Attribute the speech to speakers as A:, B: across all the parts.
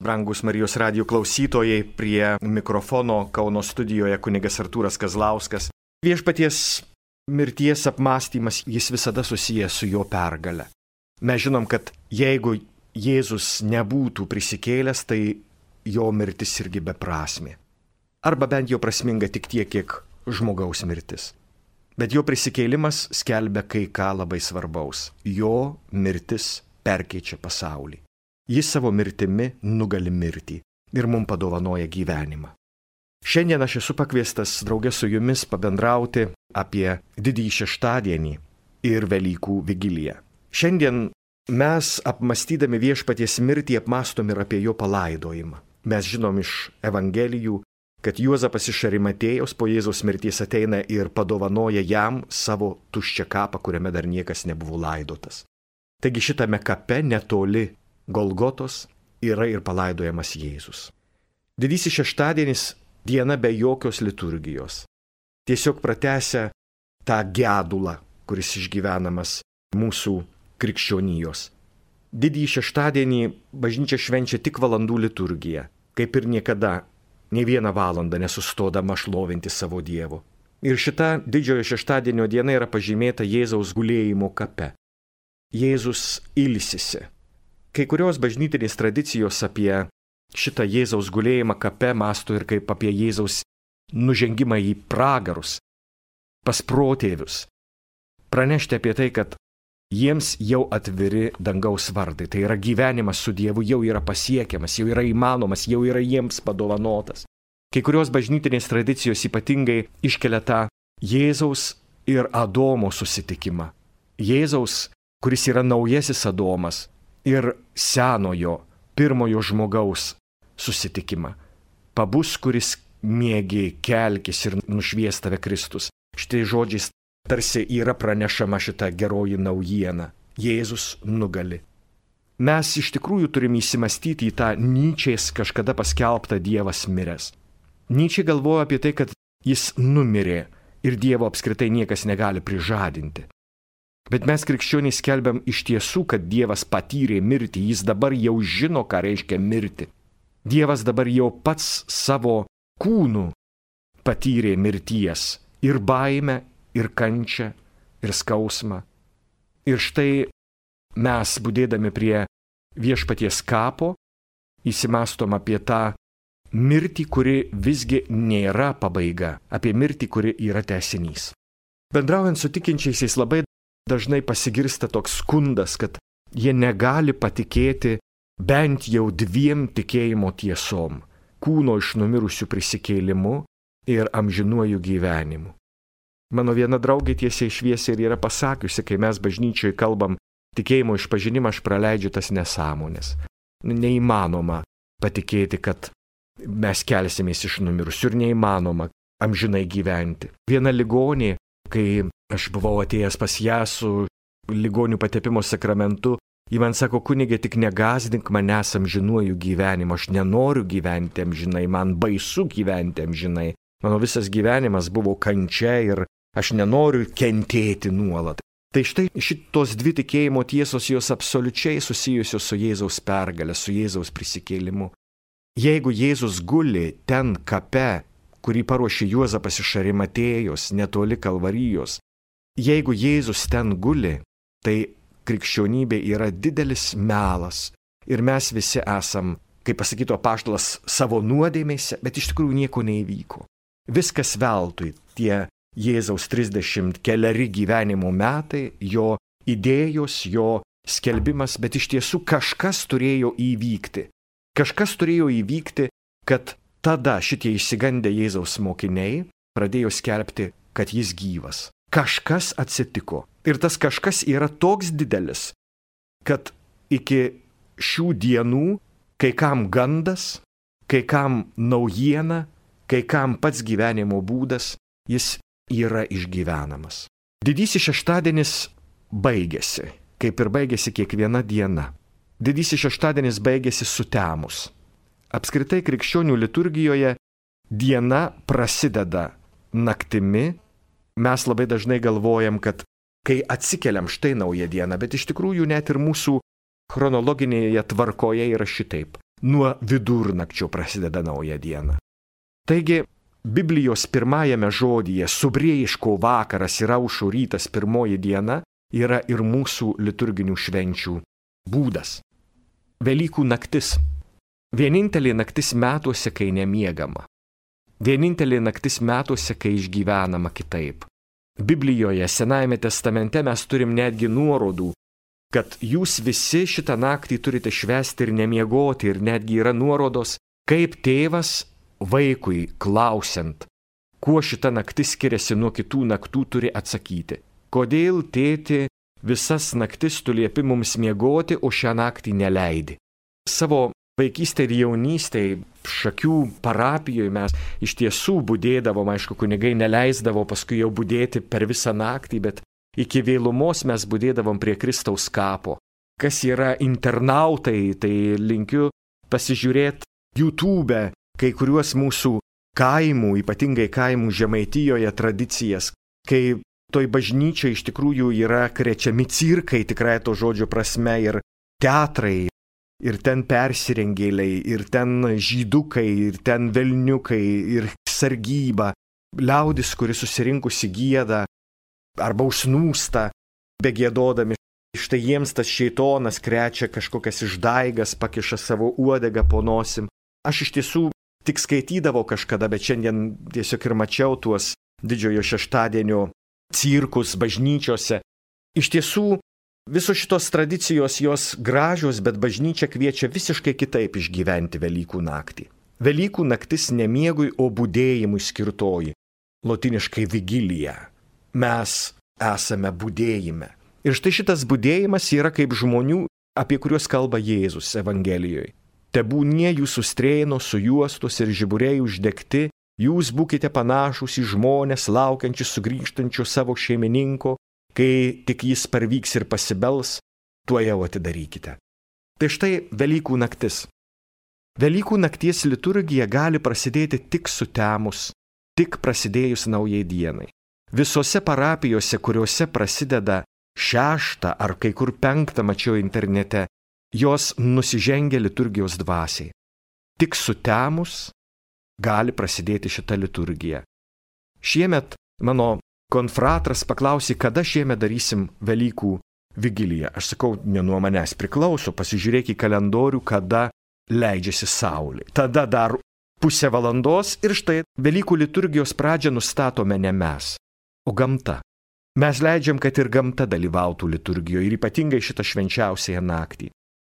A: Brangus Marijos radijo klausytojai, prie mikrofono Kauno studijoje kunigas Artūras Kazlauskas. Viešpaties mirties apmąstymas, jis visada susijęs su jo pergale. Mes žinom, kad jeigu Jėzus nebūtų prisikėlęs, tai jo mirtis irgi beprasmė. Arba bent jau prasminga tik tiek, kiek žmogaus mirtis. Bet jo prisikėlimas skelbia kai ką labai svarbaus. Jo mirtis perkeičia pasaulį. Jis savo mirtimi nugali mirtį ir mums padovanoja gyvenimą. Šiandien aš esu pakviestas draugė su jumis pabendrauti apie Didįjį šeštadienį ir Velykų vigiliją. Šiandien mes apmąstydami Viešpaties mirtį apmąstom ir apie jo palaidojimą. Mes žinom iš Evangelijų, kad Juozapas iš Arimatėjos po Jėzaus mirties ateina ir padovanoja jam savo tuščią kapą, kuriame dar niekas nebuvo laidotas. Taigi šitame kape netoli Golgotos yra ir palaidojamas Jėzus. Didysis šeštadienis diena be jokios liturgijos. Tiesiog pratęsia tą gedulą, kuris išgyvenamas mūsų krikščionijos. Didįjį šeštadienį bažnyčia švenčia tik valandų liturgiją, kaip ir niekada, nei vieną valandą nesustodama šlovinti savo Dievo. Ir šita didžiojo šeštadienio diena yra pažymėta Jėzaus gulėjimo kape. Jėzus ilsisi. Kai kurios bažnytinės tradicijos apie šitą Jėzaus gulėjimą kape mąsto ir kaip apie Jėzaus nužengimą į pragarus, pas protėvius. Pranešti apie tai, kad jiems jau atviri dangaus vardai, tai yra gyvenimas su Dievu jau yra pasiekiamas, jau yra įmanomas, jau yra jiems padovanotas. Kai kurios bažnytinės tradicijos ypatingai iškelia tą Jėzaus ir Adomo susitikimą. Jėzaus, kuris yra naujasis Adomas, ir senojo, pirmojo žmogaus susitikimą. Pabus, kuris miegi, kelkis ir nušvies tave Kristus. Šitai žodžiais tarsi yra pranešama šita geroji naujiena. Jėzus nugali. Mes iš tikrųjų turime įsimastyti į tą Nyčės kažkada paskelbtą Dievas miręs. Nyčė galvoja apie tai, kad jis numirė ir Dievo apskritai niekas negali prižadinti. Bet mes krikščionys skelbiam iš tiesų, kad Dievas patyrė mirtį, jis dabar jau žino, ką reiškia mirti. Dievas dabar jau pats savo kūnu patyrė mirties ir baimę, ir kančią, ir skausmą. Ir štai mes, budėdami prie Viešpaties kapo, įsimastom apie tą mirtį, kuri visgi nėra pabaiga, apie mirtį, kuri yra tęsinys. Bendraujant su tikinčiaisiais labai dažnai pasigirsta toks skundas, kad jie negali patikėti bent jau dviem tikėjimo tiesom – kūno iš numirusių prisikėlimu ir amžinuoju gyvenimu. Mano viena draugė tiesiai šviesiai ir yra pasakiusi, kai mes bažnyčioje kalbam tikėjimo išpažinimą, aš praleidžiu tas nesąmonės. Neįmanoma patikėti, kad mes kelsimės iš numirusių ir neįmanoma amžinai gyventi. Viena ligonė, kai aš buvau atėjęs pas ją su ligonių patepimo sakramentu, ji man sako, kunigė, tik negąsdink manęs amžinuoju gyvenimu, aš nenoriu gyventi amžinai, man baisu gyventi amžinai. Mano visas gyvenimas buvo kančia ir aš nenoriu kentėti nuolat. Tai štai šitos dvi tikėjimo tiesos jos absoliučiai susijusios su Jėzaus pergale, su Jėzaus prisikėlimu. Jeigu Jėzus guli ten kape, kurį paruošė Juozapas iš Arimatėjos, netoli Kalvarijos, jeigu Jėzus ten guli, tai krikščionybė yra didelis melas ir mes visi esam, kaip pasakytų apaštalas, savo nuodėmėse, bet iš tikrųjų nieko neįvyko. Viskas veltui, tie Jėzaus 30 keleri gyvenimo metai, jo idėjos, jo skelbimas, bet iš tiesų kažkas turėjo įvykti. Kažkas turėjo įvykti, kad tada šitie išsigandę Jėzaus mokiniai pradėjo skelbti, kad jis gyvas. Kažkas atsitiko. Ir tas kažkas yra toks didelis, kad iki šių dienų kai kam gandas, kai kam naujiena, kai kam pats gyvenimo būdas, jis yra išgyvenamas. Didysis šeštadienis baigėsi, kaip ir baigėsi kiekviena diena. Didysis šeštadienis baigėsi sutemus. Apskritai krikščionių liturgijoje diena prasideda naktimi. Mes labai dažnai galvojam, kad kai atsikeliam štai naują dieną, bet iš tikrųjų net ir mūsų chronologinėje tvarkoje yra šitaip. nuo vidurnakčio prasideda nauja diena. Taigi, Biblijos pirmajame žodyje subrėjiško vakaras ir aušo rytas pirmoji diena yra ir mūsų liturginių švenčių būdas. Velykų naktis. Vienintelė naktis metuose, kai nemiegama. Vienintelė naktis metuose, kai išgyvenama kitaip. Biblijoje, Senajame testamente mes turim netgi nuorodų, kad jūs visi šitą naktį turite švęsti ir nemiegoti, ir netgi yra nuorodos, kaip tėvas vaikui klausiant, kuo šita naktis skiriasi nuo kitų naktų, turi atsakyti. Kodėl, tėti, visas naktis tu liepi mums miegoti, o šią naktį neleidi? Savo vaikystėje ir jaunystėje Šakių parapijoje mes iš tiesų budėdavom, aišku, kunigai neleisdavo paskui jau budėti per visą naktį, bet iki vėlumos mes budėdavom prie Kristaus kapo. Kas yra internautai, tai linkiu pasižiūrėti YouTube kai kuriuos mūsų kaimų, ypatingai kaimų Žemaitijoje tradicijas, kai toj bažnyčiai iš tikrųjų yra krečiami cirkai, tikrai to žodžio prasme, ir teatrai, ir ten persirengėliai, ir ten žydukai, ir ten velniukai, ir sargyba, liaudis, kuri susirinkusi gieda arba užsnūsta, begėdodami. Štai jiems tas šėtonas krečia kažkokias išdaigas, pakiša savo uodegą po nosim. Aš iš tiesų tik skaitydavau kažkada, bet šiandien tiesiog ir mačiau tuos didžiojo šeštadienio cirkus bažnyčiose. Iš tiesų, visos šitos tradicijos jos gražios, bet bažnyčia kviečia visiškai kitaip išgyventi Velykų naktį. Velykų naktis ne miegui, o budėjimui skirtoji. Lotiniškai vigilija. Mes esame budėjime. Ir štai šitas budėjimas yra kaip žmonių, apie kuriuos kalba Jėzus Evangelijoje. Tebūnie jūsų strėnos sujuostos ir žiburiai uždegti, jūs būkite panašus į žmonės laukiančius sugrįžtančio savo šeimininko, kai tik jis parvyks ir pasibels, tuojau atidarykite. Tai štai Velykų naktis. Velykų nakties liturgija gali prasidėti tik sutemus, tik prasidėjus naujai dienai. Visose parapijose, kuriuose prasideda 6 ar kai kur 5, mačiau internete, jos nusižengia liturgijos dvasiai. Tik sutemus gali prasidėti šita liturgija. Šiemet mano konfratras paklausė, kada šiemet darysim Velykų vigiliją. Aš sakau, ne nuo manęs priklauso, pasižiūrėk į kalendorių, kada leidžiasi saulė. Tada dar pusę valandos ir štai Velykų liturgijos pradžią nustatome ne mes, o gamta. Mes leidžiam, kad ir gamta dalyvautų liturgijoje ir ypatingai šitą švenčiausiąją naktį.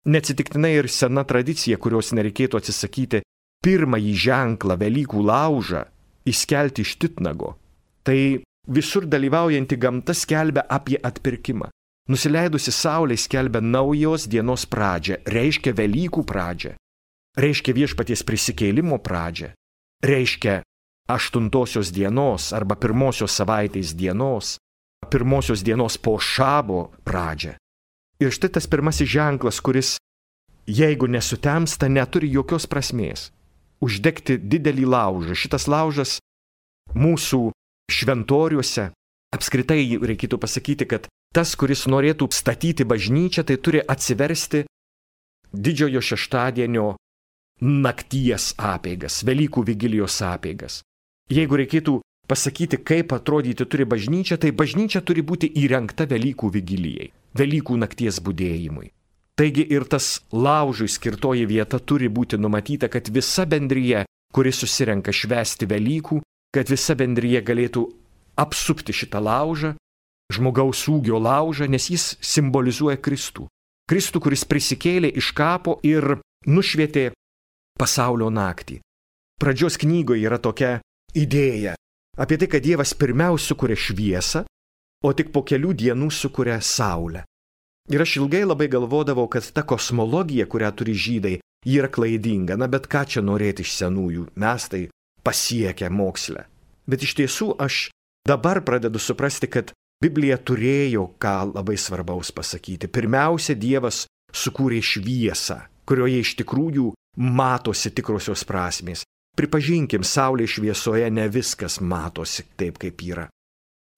A: Neatsitiktinai ir sena tradicija, kurios nereikėtų atsisakyti, pirmąjį ženklą Velykų laužą įskelti iš titnago. Tai visur dalyvaujanti gamta skelbia apie atpirkimą. Nusileidusi saulė skelbia naujos dienos pradžią, reiškia Velykų pradžią, reiškia viešpaties prisikėlimo pradžią, reiškia 8 dienos arba 1 savaitės dienos, 1 dienos po šabo pradžią. Ir štai tas pirmasis ženklas, kuris, jeigu nesutemsta, neturi jokios prasmės. Uždegti didelį laužą. Šitas laužas mūsų šventoriuose, apskritai reikėtų pasakyti, kad tas, kuris norėtų statyti bažnyčią, tai turi atsiversti didžiojo šeštadienio nakties apeigas, Velykų vigilijos apeigas. Jeigu reikėtų pasakyti, kaip atrodyti turi bažnyčia, tai bažnyčia turi būti įrengta Velykų vigilijai, Velykų nakties budėjimui. Taigi ir tas laužui skirtoji vieta turi būti numatyta, kad visa bendrija, kuri susirenka švęsti Velykų, kad visa bendrija galėtų apsupti šitą laužą, žmogaus ūgio laužą, nes jis simbolizuoja Kristų. Kristų, kuris prisikėlė iš kapo ir nušvietė pasaulio naktį. Pradžios knygoje yra tokia idėja apie tai, kad Dievas pirmiausia sukuria šviesą, o tik po kelių dienų sukuria saulę. Ir aš ilgai labai galvodavau, kad ta kosmologija, kurią turi žydai, yra klaidinga. Na, bet ką čia norėti iš senųjų, mes tai pasiekę mokslę. Bet iš tiesų aš dabar pradedu suprasti, kad Biblija turėjo ką labai svarbaus pasakyti. Pirmiausia, Dievas sukūrė šviesą, kurioje iš tikrųjų matosi tikrosios prasmės. Pripažinkim, saulės šviesoje ne viskas matosi taip, kaip yra.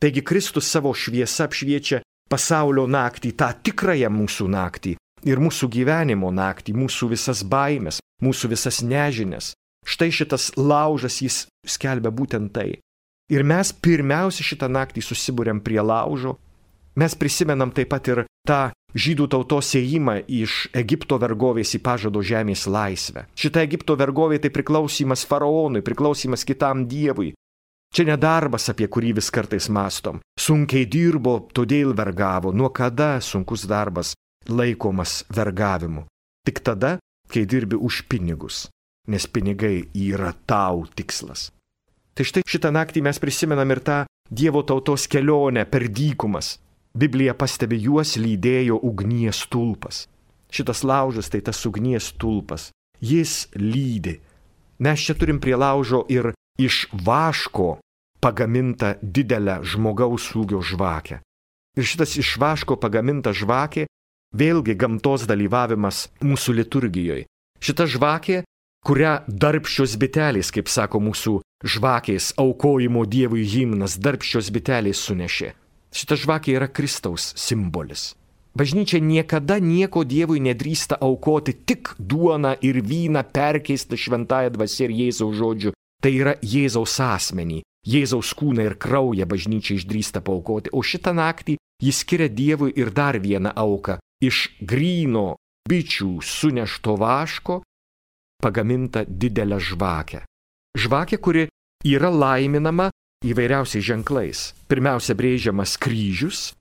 A: Taigi Kristus savo šviesą apšviečia pasaulio naktį, tą tikrąją mūsų naktį, ir mūsų gyvenimo naktį, mūsų visas baimės, mūsų visas nežinias. Štai šitas laužas jis skelbia būtent tai. Ir mes pirmiausia šitą naktį susibūrėm prie laužo. Mes prisimenam taip pat ir tą žydų tautos ėjimą iš Egipto vergovės į pažado žemės laisvę. Šita Egipto vergovė tai priklausymas faraonui, priklausymas kitam dievui. Čia nedarbas, apie kurį vis kartais mąstom. Sunkiai dirbo, todėl vergavo. Nuo kada sunkus darbas laikomas vergavimu? Tik tada, kai dirbi už pinigus, nes pinigai yra tau tikslas. Tai štai šitą naktį mes prisimenam ir tą Dievo tautos kelionę per dykumas. Biblija pastebi, juos lydėjo ugnies stulpas. Šitas laužas tai tas ugnies stulpas. Jis lydi. Mes čia turim prie laužo ir iš vaško pagamintą didelę žmogaus ūgio žvakę. Ir šitas iš vaško pagaminta žvakė, vėlgi gamtos dalyvavimas mūsų liturgijoje. Šita žvakė, kurią darbščios bitelės, kaip sako mūsų žvakės aukojimo Dievui himnas, darbščios bitelės sunešė. Šita žvakė yra Kristaus simbolis. Bažnyčia niekada nieko Dievui nedrįsta aukoti, tik duoną ir vyną perkeista šventąja dvasia ir Jėzaus žodžiu. Tai yra Jėzaus asmenį, Jėzaus kūną ir kraują bažnyčia išdrįsta paaukoti. O šitą naktį jis skiria Dievui ir dar vieną auką. Iš gryno bičių sunešto vaško pagaminta didelę žvakę. Žvakė, kuri yra laiminama įvairiausiais ženklais. Pirmiausia brėžiamas kryžius,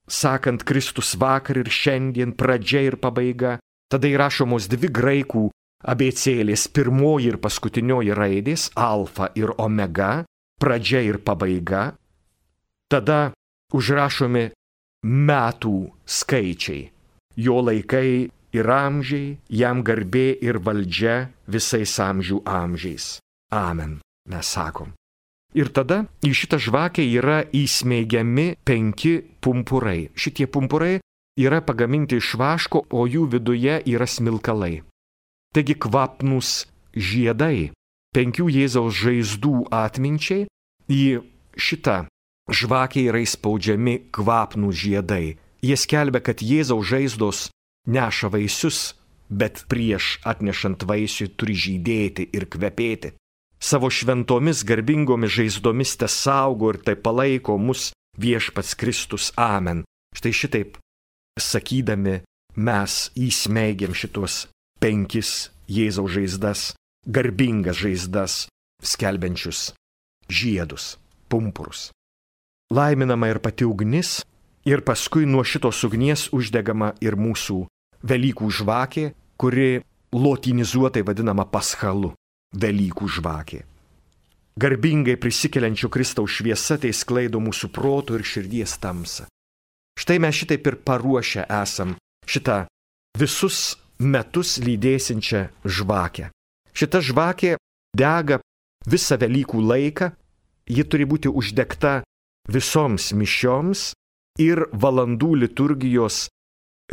A: sakant Kristus vakar ir šiandien, pradžia ir pabaiga. Tada įrašomos dvi graikų abėcėlės, pirmoji ir paskutinioji raidės, alfa ir omega, pradžia ir pabaiga. Tada užrašomi metų skaičiai, jo laikai ir amžiai, jam garbė ir valdžia visais amžių amžiais. Amen, mes sakom. Ir tada į šitą žvakę yra įsmeigiami 5 pumpurai. Šitie pumpurai yra pagaminti iš vaško, o jų viduje yra smilkalai. Taigi kvapnūs žiedai, 5 Jėzaus žaizdų atminčiai, į šitą žvakę yra įspaudžiami kvapnūs žiedai. Jie skelbia, kad Jėzaus žaizdos neša vaisius, bet prieš atnešant vaisių turi žydėti ir kvepėti. Savo šventomis garbingomis žaizdomis te saugo ir tai palaiko mus viešpats Kristus. Amen. Štai šitaip sakydami mes įsmeigiam šitos 5 Jėzaus žaizdas, garbingas žaizdas, skelbiančius žiedus, pumpurus. Laiminama ir pati ugnis, ir paskui nuo šitos ugnies uždegama ir mūsų Velykų žvakė, kuri lotinizuotai vadinama paschalu. Velykų žvakė. Garbingai prisikeliančio Kristaus šviesa tai sklaido mūsų proto ir širdies tamsą. Štai mes šitaip ir paruošę esam šitą visus metus lydėsinčią žvakę. Šita žvakė dega visą Velykų laiką, ji turi būti uždegta visoms mišioms ir valandų liturgijos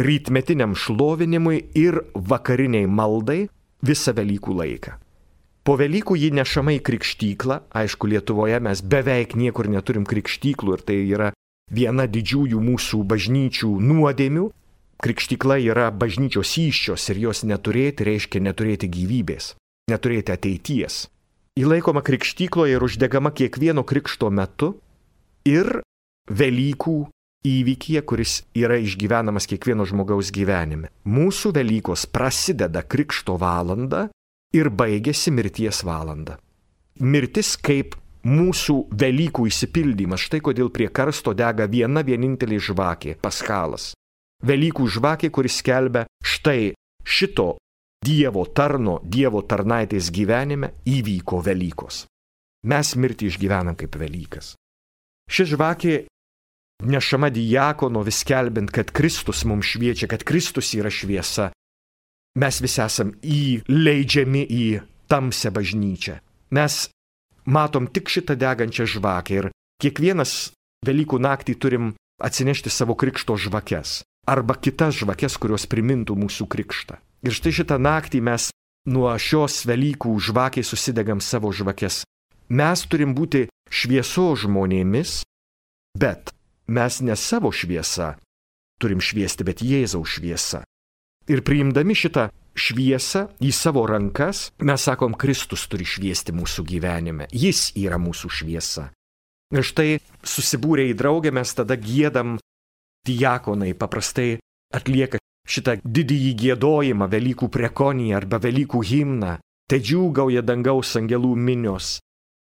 A: rytmetiniam šlovinimui ir vakariniai maldai visą Velykų laiką. Po Velykų ji nešama į krikštyklą. Aišku, Lietuvoje mes beveik niekur neturim krikštyklų ir tai yra viena didžiųjų mūsų bažnyčių nuodėmių. Krikštykla yra bažnyčios įsčios ir jos neturėti reiškia neturėti gyvybės, neturėti ateities. Įlaikoma krikštykloje ir uždegama kiekvieno krikšto metu ir Velykų įvykyje, kuris yra išgyvenamas kiekvieno žmogaus gyvenime. Mūsų Velykos prasideda krikšto valanda ir baigėsi mirties valanda. Mirtis kaip mūsų Velykų išsipildymas. Štai kodėl prie karsto dega viena vienintelė žvakė – paschalas. Velykų žvakė, kuris skelbia štai šito Dievo tarno, Dievo tarnaitės gyvenime įvyko Velykos. Mes mirtį išgyvenam kaip Velykas. Ši žvakė nešama diakono vis skelbiant, kad Kristus mums šviečia, kad Kristus yra šviesa. Mes visi esam įleidžiami į tamsią bažnyčią. Mes matom tik šitą degančią žvakę ir kiekvienas Velykų naktį turim atsinešti savo krikšto žvakes arba kitas žvakes, kurios primintų mūsų krikštą. Ir štai šitą naktį mes nuo šios Velykų žvakės susidegam savo žvakes. Mes turim būti šviesos žmonėmis, bet mes ne savo šviesa turim šviesti, bet Jėzaus šviesa. Ir priimdami šitą šviesą į savo rankas, mes sakom, Kristus turi šviesti mūsų gyvenime. Jis yra mūsų šviesa. Ir štai susibūrę į draugę mes tada giedam, diakonai paprastai atlieka šitą didįjį giedojimą, Velykų prekoniją arba Velykų himną. Te džiūgauja dangaus angelų minios,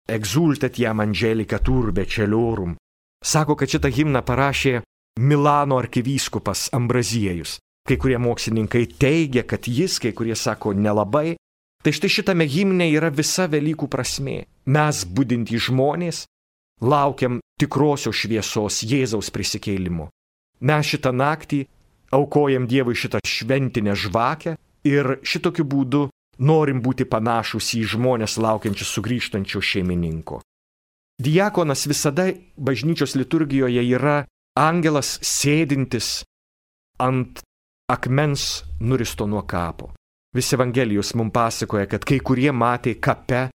A: exultet jam angelika turbe celiorum. Sako, kad šitą himną parašė Milano arkivyskupas Ambraziejus. Kai kurie mokslininkai teigia, kad jis, kai kurie sako nelabai. Tai štai šitame himne yra visa Velykų prasmė. Mes, budintys žmonės, laukiam tikrosios šviesos Jėzaus prisikėlimo. Mes šitą naktį aukojam Dievui šitą šventinę žvakę ir šitokiu būdu norim būti panašus į žmonės laukiančius sugrįžtančio šeimininko. Diakonas visada bažnyčios liturgijoje yra angelas sėdintis ant akmens nuristo nuo kapo. Visi Evangelijos mums pasakoja, kad kai kurie matė kape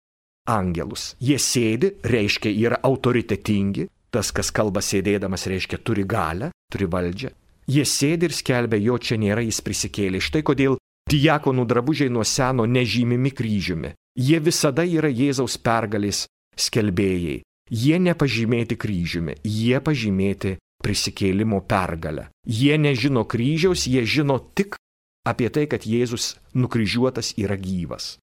A: angelus. Jie sėdi, reiškia yra autoritetingi, tas, kas kalba sėdėdamas, reiškia turi galią, turi valdžią. Jie sėdi ir skelbia, jo čia nėra, jis prisikėlė. Štai kodėl diakonų drabužiai nuo seno nežymimi kryžiumi. Jie visada yra Jėzaus pergalės skelbėjai. Jie nepažymėti kryžiumi, jie pažymėti prisikėlimo pergalę. Jie nežino kryžiaus, jie žino tik apie tai, kad Jėzus nukryžiuotas yra gyvas.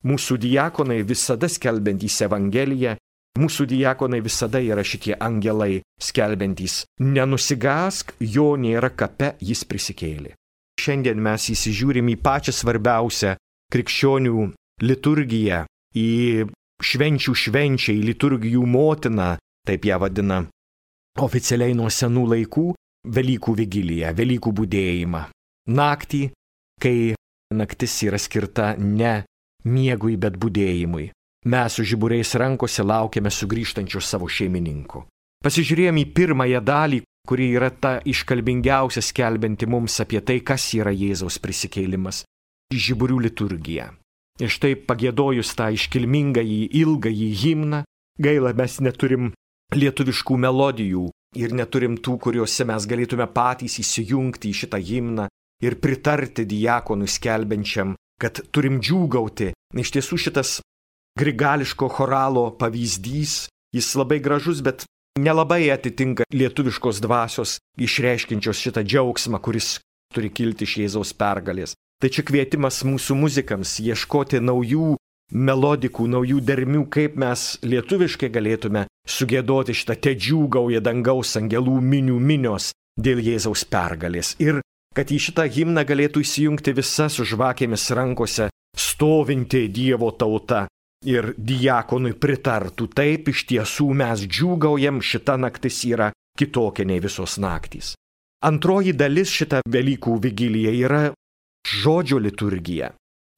A: Mūsų diakonai visada skelbiantys Evangeliją, mūsų diakonai visada yra šitie angelai skelbiantys. Nenusigask, jo nėra kape, jis prisikėlė. Šiandien mes įsižiūrim į pačią svarbiausią krikščionių liturgiją, į švenčių švenčią, į liturgijų motiną, taip ją vadina oficialiai nuo senų laikų, Velykų vigiliją, Velykų budėjimą. Naktį, kai naktis yra skirta ne miegui, bet budėjimui. Mes su žiburiais rankose laukiame sugrįžtančio savo šeimininko. Pasižiūrėjome į pirmąją dalį, kuri yra ta iškalbingiausia skelbianti mums apie tai, kas yra Jėzaus prisikėlimas. Žiburių liturgija. Ir štai pagiedojus tą iškilmingąjį, ilgąjį himną, gaila, mes neturim lietuviškų melodijų ir neturim tų, kuriuose mes galėtume patys įsijungti į šitą himną ir pritarti diakonui skelbiančiam, kad turim džiūgauti. Iš tiesų šitas grigališko choralo pavyzdys, jis labai gražus, bet nelabai atitinka lietuviškos dvasios išreiškinčios šitą džiaugsmą, kuris turi kilti iš Jėzaus pergalės. Tai čia kvietimas mūsų muzikams ieškoti naujų melodikų, naujų dermių, kaip mes lietuviškai galėtume sugėdoti šitą te džiūgauja dangaus angelų minios dėl Jėzaus pergalės. Ir kad į šitą himną galėtų įsijungti visa su žvakėmis rankose stovinti Dievo tauta ir diakonui pritartų. Taip, iš tiesų mes džiūgaujam, šita naktis yra kitokia nei visos naktys. Antroji dalis šitą Velykų vigiliją yra žodžio liturgija.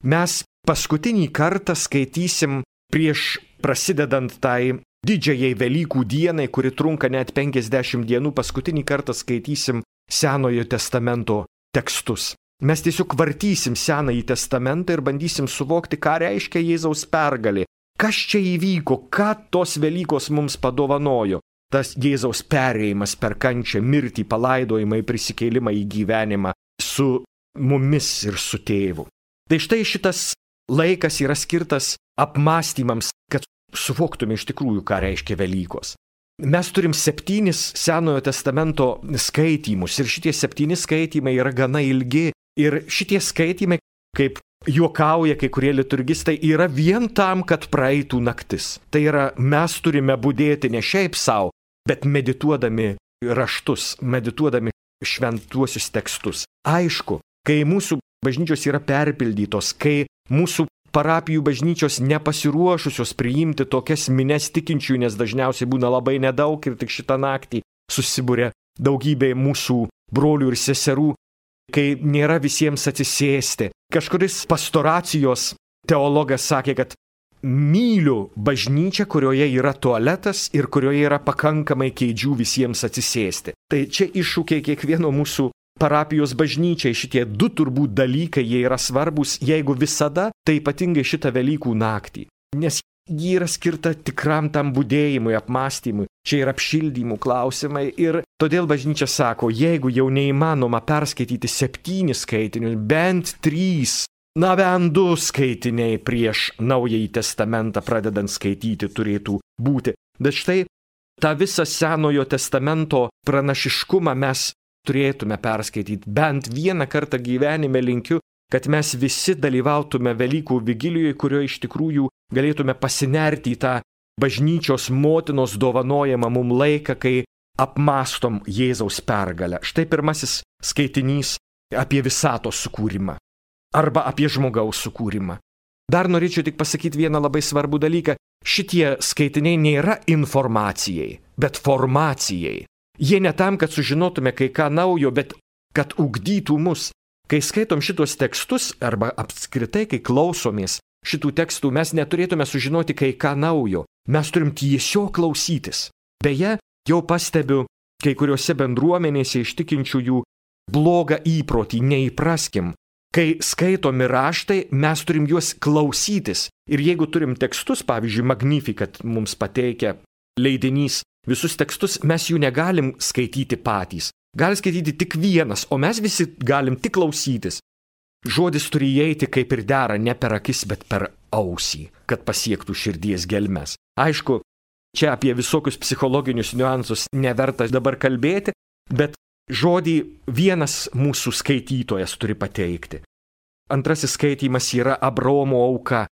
A: Mes paskutinį kartą skaitysim prieš prasidedant tai didžiajai Velykų dienai, kuri trunka net 50 dienų, paskutinį kartą skaitysim Senojo testamento tekstus. Mes tiesiog vartysim Senąjį testamentą ir bandysim suvokti, ką reiškia Jėzaus pergalė. Kas čia įvyko, ką tos Velykos mums padovanojo. Tas Jėzaus perėjimas per kančią, mirtį, palaidojimą, prisikėlimą į gyvenimą su mumis ir su tėvu. Tai štai šitas laikas yra skirtas apmąstymams, kad suvoktume iš tikrųjų, ką reiškia Velykos. Mes turim 7 Senojo testamento skaitymus ir šitie 7 skaitymai yra gana ilgi ir šitie skaitymai, kaip juokauja kai kurie liturgistai, yra vien tam, kad praeitų naktis. Tai yra, mes turime budėti ne šiaip savo, bet medituodami raštus, medituodami šventuosius tekstus. Aišku, kai mūsų bažnyčios yra perpildytos, kai mūsų parapijų bažnyčios nepasiruošusios priimti tokias mines tikinčių, nes dažniausiai būna labai nedaug ir tik šitą naktį susibūrė daugybė mūsų brolių ir seserų, kai nėra visiems atsisėsti. Kažkuris pastoracijos teologas sakė, kad myliu bažnyčią, kurioje yra tualetas ir kurioje yra pakankamai kėdžių visiems atsisėsti. Tai čia iššūkiai kiekvieno mūsų parapijos bažnyčiai, šitie 2 turbūt dalykai, jie yra svarbus, jeigu visada, tai ypatingai šitą Velykų naktį. Nes ji yra skirta tikram tam budėjimui, apmąstymui, čia yra apšildymų klausimai ir todėl bažnyčia sako, jeigu jau neįmanoma perskaityti 7 skaitinius, bent 3, bent 2 skaitiniai prieš Naująjį testamentą pradedant skaityti turėtų būti. Bet štai tą visą Senojo testamento pranašiškumą mes turėtume perskaityti. Bent vieną kartą gyvenime linkiu, kad mes visi dalyvautume Velykų vigilijoje, kurioje iš tikrųjų galėtume pasinerti į tą bažnyčios motinos dovanojamą mum laiką, kai apmastom Jėzaus pergalę. Štai pirmasis skaitinys apie visatos sukūrimą arba apie žmogaus sukūrimą. Dar norėčiau tik pasakyti vieną labai svarbų dalyką. Šitie skaitiniai nėra informacijai, bet formacijai. Jie ne tam, kad sužinotume kai ką naujo, bet kad ugdytų mus. Kai skaitom šitos tekstus arba apskritai, kai klausomės šitų tekstų, mes neturėtume sužinoti kai ką naujo. Mes turim tiesiog klausytis. Beje, jau pastebiu kai kuriuose bendruomenėse iš tikinčiųjų blogą įprotį, neįpraskim. Kai skaitomi raštai, mes turim juos klausytis. Ir jeigu turim tekstus, pavyzdžiui, Magnificat mums pateikia leidinys, visus tekstus mes jų negalim skaityti patys. Gali skaityti tik vienas, o mes visi galim tik klausytis. Žodis turi įeiti kaip ir dera, ne per akis, bet per ausį, kad pasiektų širdies gelmes. Aišku, čia apie visokius psichologinius niuansus neverta dabar kalbėti, bet žodį vienas mūsų skaitytojas turi pateikti. Antrasis skaitymas yra Abraomo auka,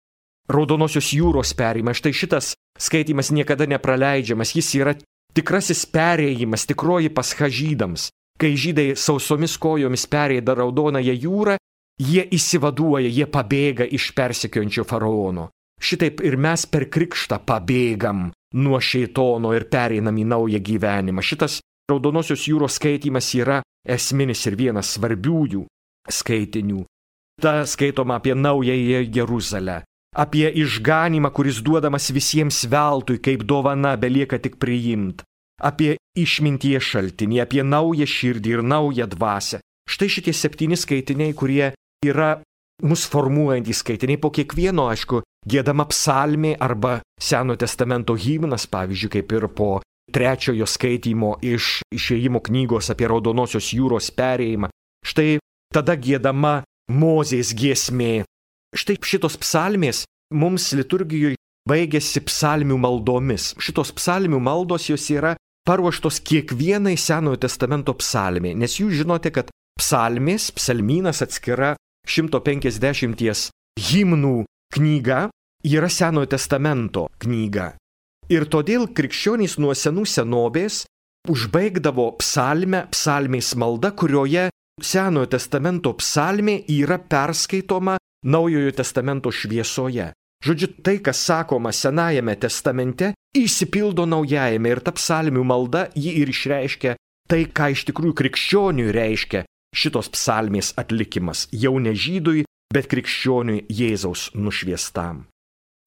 A: Raudonosios jūros perėjimas. Štai šitas skaitymas niekada nepraleidžiamas, jis yra tikrasis perėjimas, tikroji pascha žydams. Kai žydai sausomis kojomis pereina Raudonąją jūrą, jie įsivaduoja, jie pabėga iš persekiojančio faraono. Šitaip ir mes per krikštą pabėgam nuo šėtono ir pereinam į naują gyvenimą. Šitas Raudonosios jūros skaitymas yra esminis ir vienas svarbiųjų skaitinių. Ta skaitoma apie naująją Jeruzalę, apie išganymą, kuris duodamas visiems veltui, kaip dovana, belieka tik priimt, apie išminties šaltinį, apie naują širdį ir naują dvasią. Štai šitie 7 skaitiniai, kurie yra mus formuojantys skaitiniai. Po kiekvieno, aišku, giedama psalmė arba Senojo testamento himnas, pavyzdžiui, kaip ir po 3 skaitymo iš Išėjimo knygos apie Raudonosios jūros perėjimą. Štai tada giedama Mozės giesmė. Štai šitos psalmės mums liturgijoje baigėsi psalmių maldomis. Šitos psalmių maldos jos yra paruoštos kiekvienai Senojo testamento psalmė, nes jūs žinote, kad psalmės, psalmynas atskira 150 himnų knyga yra Senojo testamento knyga. Ir todėl krikščionys nuo senų senovės užbaigdavo psalmės malda, kurioje Senojo testamento psalmė yra perskaitoma Naujojo testamento šviesoje. Žodžiu, tai, kas sakoma Senajame testamente, išsipildo Naujajame ir ta psalmių malda ji ir išreiškia tai, ką iš tikrųjų krikščioniui reiškia šitos psalmės atlikimas. Jau ne žydui, bet krikščioniui Jėzaus nušviestam.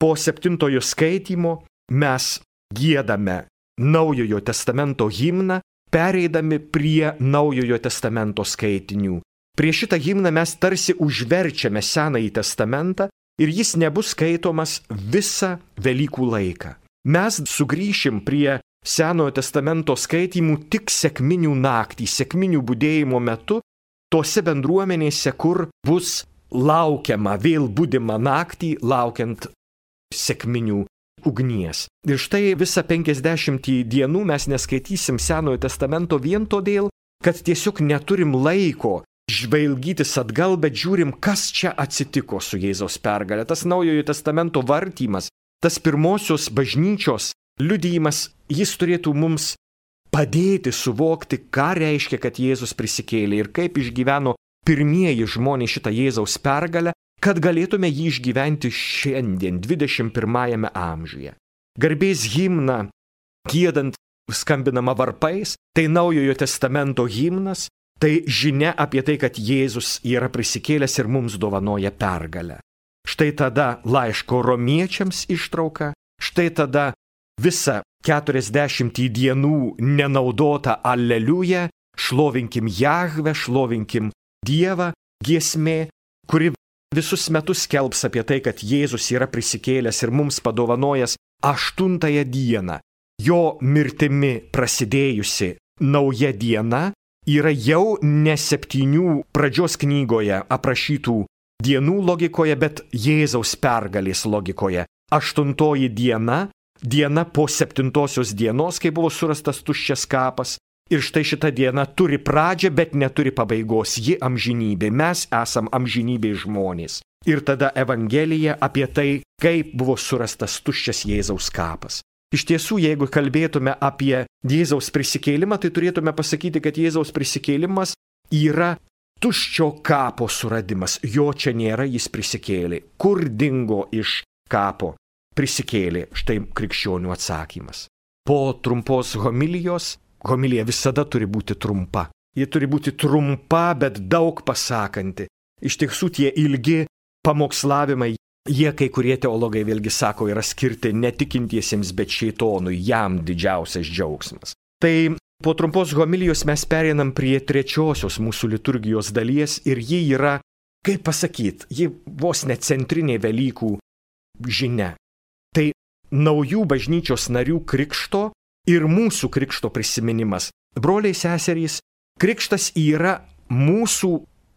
A: Po 7 skaitymo mes giedame Naujojo testamento himną, pereidami prie Naujojo testamento skaitinių. Prie šitą himną mes tarsi užverčiame Senąjį testamentą ir jis nebus skaitomas visą Velykų laiką. Mes sugrįšim prie Senojo testamento skaitymų tik sekminių naktį, sekminių budėjimo metu, tose bendruomenėse, kur bus laukiama, vėl budima naktį, laukiant sekminių ugnies. Ir štai visą 50 dienų mes neskaitysim Senojo testamento vien todėl, kad tiesiog neturim laiko žvalgytis atgal, bet žiūrim, kas čia atsitiko su Jėzaus pergalė. Tas Naujojo testamento vartymas, tas pirmosios bažnyčios liudijimas, jis turėtų mums padėti suvokti, ką reiškia, kad Jėzus prisikėlė ir kaip išgyveno pirmieji žmonės šitą Jėzaus pergalę, kad galėtume jį išgyventi šiandien, 21 amžiuje. Garbės himną, giedant, skambinama varpais, tai Naujojo testamento himnas, tai žinia apie tai, kad Jėzus yra prisikėlęs ir mums dovanoja pergalę. Štai tada laiško romiečiams ištrauka, štai tada visa 40 dienų nenaudota Aleliuja, šlovinkim Jahvę, šlovinkim Dievą giesmė, kuri visus metus skelbs apie tai, kad Jėzus yra prisikėlęs ir mums padovanojęs 8 dieną. Jo mirtimi prasidėjusi nauja diena yra jau ne 7 pradžios knygoje aprašytų dienų logikoje, bet Jėzaus pergalės logikoje. 8 diena, diena po 7 dienos, kai buvo surastas tuščias kapas. Ir štai šita diena turi pradžią, bet neturi pabaigos. Ji amžinybė. Mes esam amžinybė žmonės. Ir tada Evangelija apie tai, kaip buvo surastas tuščias Jėzaus kapas. Iš tiesų, jeigu kalbėtume apie Jėzaus prisikėlimą, tai turėtume pasakyti, kad Jėzaus prisikėlimas yra tuščio kapo suradimas. Jo čia nėra, jis prisikėlė. Kur dingo iš kapo? Prisikėlė. Štai krikščionių atsakymas. Po trumpos homilijos, homilija visada turi būti trumpa. Ji turi būti trumpa, bet daug pasakanti. Iš tiesų tie ilgi pamokslavimai, jie kai kurie teologai vėlgi sako, yra skirti netikintiesiems, bet šeitonui, jam didžiausias džiaugsmas. Tai po trumpos homilijos mes pereinam prie 3 mūsų liturgijos dalies ir ji yra, kaip pasakyti, ji vos ne centrinė Velykų žinia. Tai naujų bažnyčios narių krikšto ir mūsų krikšto prisiminimas. Broliai seserys, krikštas yra mūsų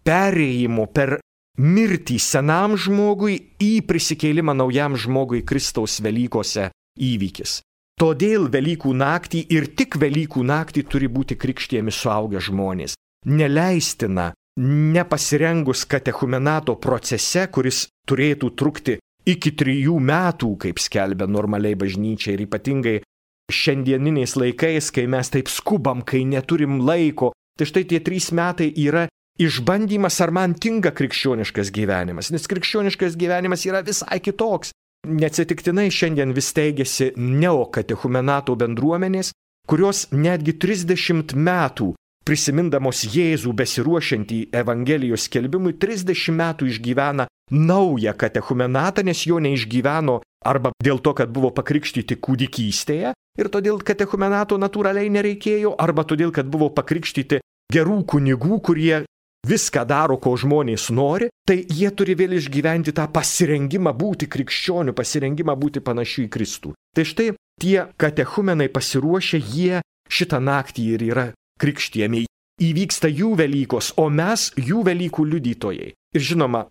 A: perėjimo per mirtį senam žmogui į prisikėlimą naujam žmogui Kristaus Velykose įvykis. Todėl Velykų naktį ir tik Velykų naktį turi būti krikštijami suaugę žmonės. Neleistina, nepasirengus katechumenato procese, kuris turėtų trukti iki 3 metų, kaip skelbia normaliai bažnyčia ir ypatingai šiandieniniais laikais, kai mes taip skubam, kai neturim laiko. Tai štai tie 3 metai yra išbandymas, ar man tinka krikščioniškas gyvenimas, nes krikščioniškas gyvenimas yra visai kitoks. Neatsitiktinai šiandien vis teigiasi neokatechumenato bendruomenės, kurios netgi 30 metų prisimindamos Jėzų besiruošiantį Evangelijos skelbimui, 30 metų išgyvena naują katechumenatą, nes jo neišgyveno arba dėl to, kad buvo pakrikštyti kūdikystėje ir todėl katechumenato natūraliai nereikėjo, arba todėl, kad buvo pakrikštyti gerų kunigų, kurie viską daro, ko žmonės nori, tai jie turi vėl išgyventi tą pasirengimą būti krikščioniu, pasirengimą būti panašiu į Kristų. Tai štai tie katechumenai pasiruošę, jie šitą naktį ir yra krikštijami. Įvyksta jų Velykos, o mes jų Velykų liudytojai. Ir žinoma,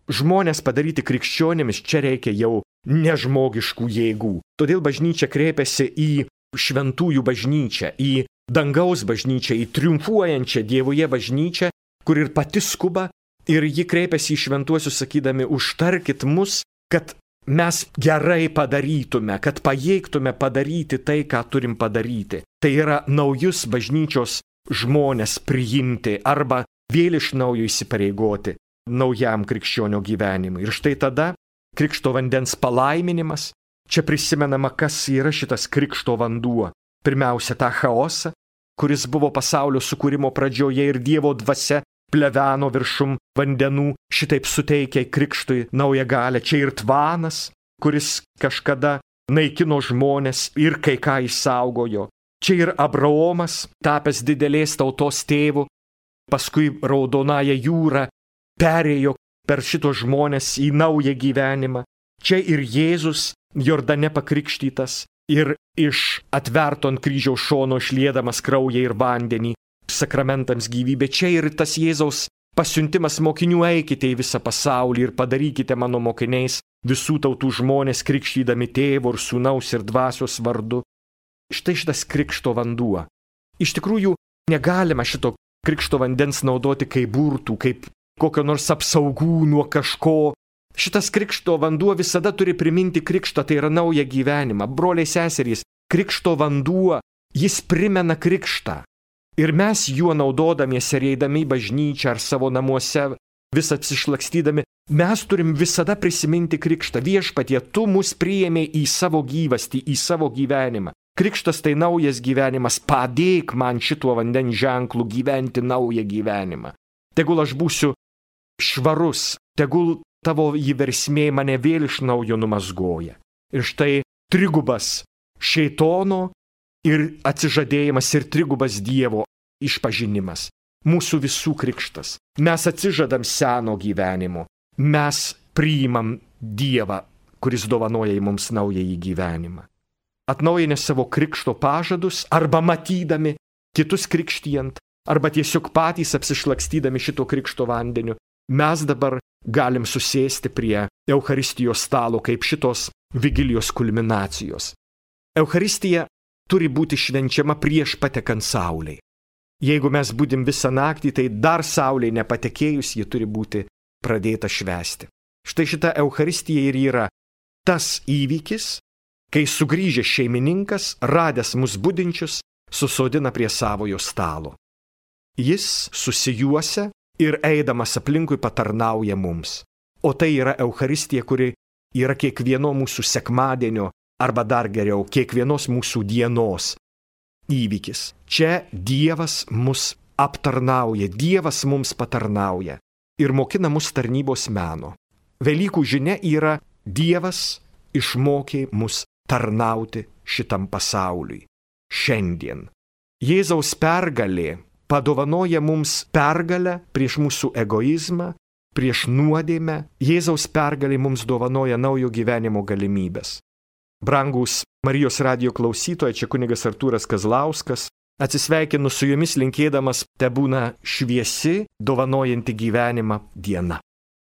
A: žmonės padaryti krikščionimis čia reikia jau nežmogiškų jėgų. Todėl bažnyčia kreipiasi į šventųjų bažnyčią, į dangaus bažnyčią, į triumfuojančią Dievoje bažnyčią, kur ir pati skuba, ir ji kreipiasi į šventuosius sakydami, užtarkit mus, kad mes gerai padarytume, kad pajėgtume padaryti tai, ką turim padaryti. Tai yra naujus bažnyčios žmonės priimti arba vėl iš naujo įsipareigoti naujam krikščionio gyvenimui. Ir štai tada krikšto vandens palaiminimas. Čia prisimenama, kas yra šitas krikšto vanduo. Pirmiausia, tą chaosą, kuris buvo pasaulio sukūrimo pradžioje ir Dievo dvasia pleveno viršum vandenų, šitaip suteikia krikštui naują galę. Čia ir tvanas, kuris kažkada naikino žmonės ir kai ką išsaugojo. Čia ir Abraomas, tapęs didelės tautos tėvu, paskui Raudonąją jūrą perėjo per šitos žmonės į naują gyvenimą. Čia ir Jėzus, Jordane pakrikštytas, ir iš atverto ant kryžiaus šono išliedamas kraują ir vandenį, sakramentams gyvybė. Čia ir tas Jėzaus pasiuntimas mokinių, eikite į visą pasaulį ir padarykite mano mokiniais visų tautų žmonės, krikštydami Tėvo ir Sūnaus ir Dvasios vardu. Štai šitas krikšto vanduo. Iš tikrųjų, negalima šito krikšto vandens naudoti kaip burtų, kaip kokio nors apsaugų nuo kažko. Šitas krikšto vanduo visada turi priminti krikštą, tai yra naują gyvenimą. Broliai seserys, krikšto vanduo, jis primena krikštą. Ir mes juo naudodamiesi, eidami į bažnyčią ar savo namuose, vis apsišlakstydami, mes turim visada prisiminti krikštą. Viešpatie, tu mus priėmė į savo gyvastį, į savo gyvenimą. Krikštas tai naujas gyvenimas, padėk man šituo vandens ženklu gyventi naują gyvenimą. Tegul aš būsiu švarus, tegul tavo įversmė mane vėl iš naujo numazgoja. Ir štai trigubas šeitono ir atsižadėjimas ir trigubas Dievo išpažinimas. Mūsų visų krikštas. Mes atsižadam seno gyvenimo. mes priimam Dievą, kuris dovanoja mums naująjį gyvenimą. Atnaujinę savo krikšto pažadus, arba matydami kitus krikštijant, arba tiesiog patys apsišlakstydami šito krikšto vandeniu, mes dabar galim susėsti prie Eucharistijos stalo kaip šitos vigilijos kulminacijos. Eucharistija turi būti švenčiama prieš patekant saulei. Jeigu mes būdim visą naktį, tai dar saulei nepatekėjus ji turi būti pradėta švęsti. Štai šita Eucharistija ir yra tas įvykis, kai sugrįžęs šeimininkas, radęs mus budinčius, susodina prie savojo stalo. Jis susijuosia ir eidamas aplinkui patarnauja mums. O tai yra Eucharistija, kuri yra kiekvieno mūsų sekmadienio, arba dar geriau, kiekvienos mūsų dienos įvykis. Čia Dievas mus aptarnauja, Dievas mums patarnauja ir mokina mus tarnybos meno. Velykų žinia yra Dievas išmokė mus tarnauti šitam pasauliui. Šiandien. Jėzaus pergalė padovanoja mums pergalę prieš mūsų egoizmą, prieš nuodėmę. Jėzaus pergalė mums dovanoja naujo gyvenimo galimybės. Brangūs Marijos radijo klausytojai, čia kunigas Artūras Kazlauskas. Atsisveikinu su jumis linkėdamas tebūna šviesi, dovanojanti gyvenimą diena.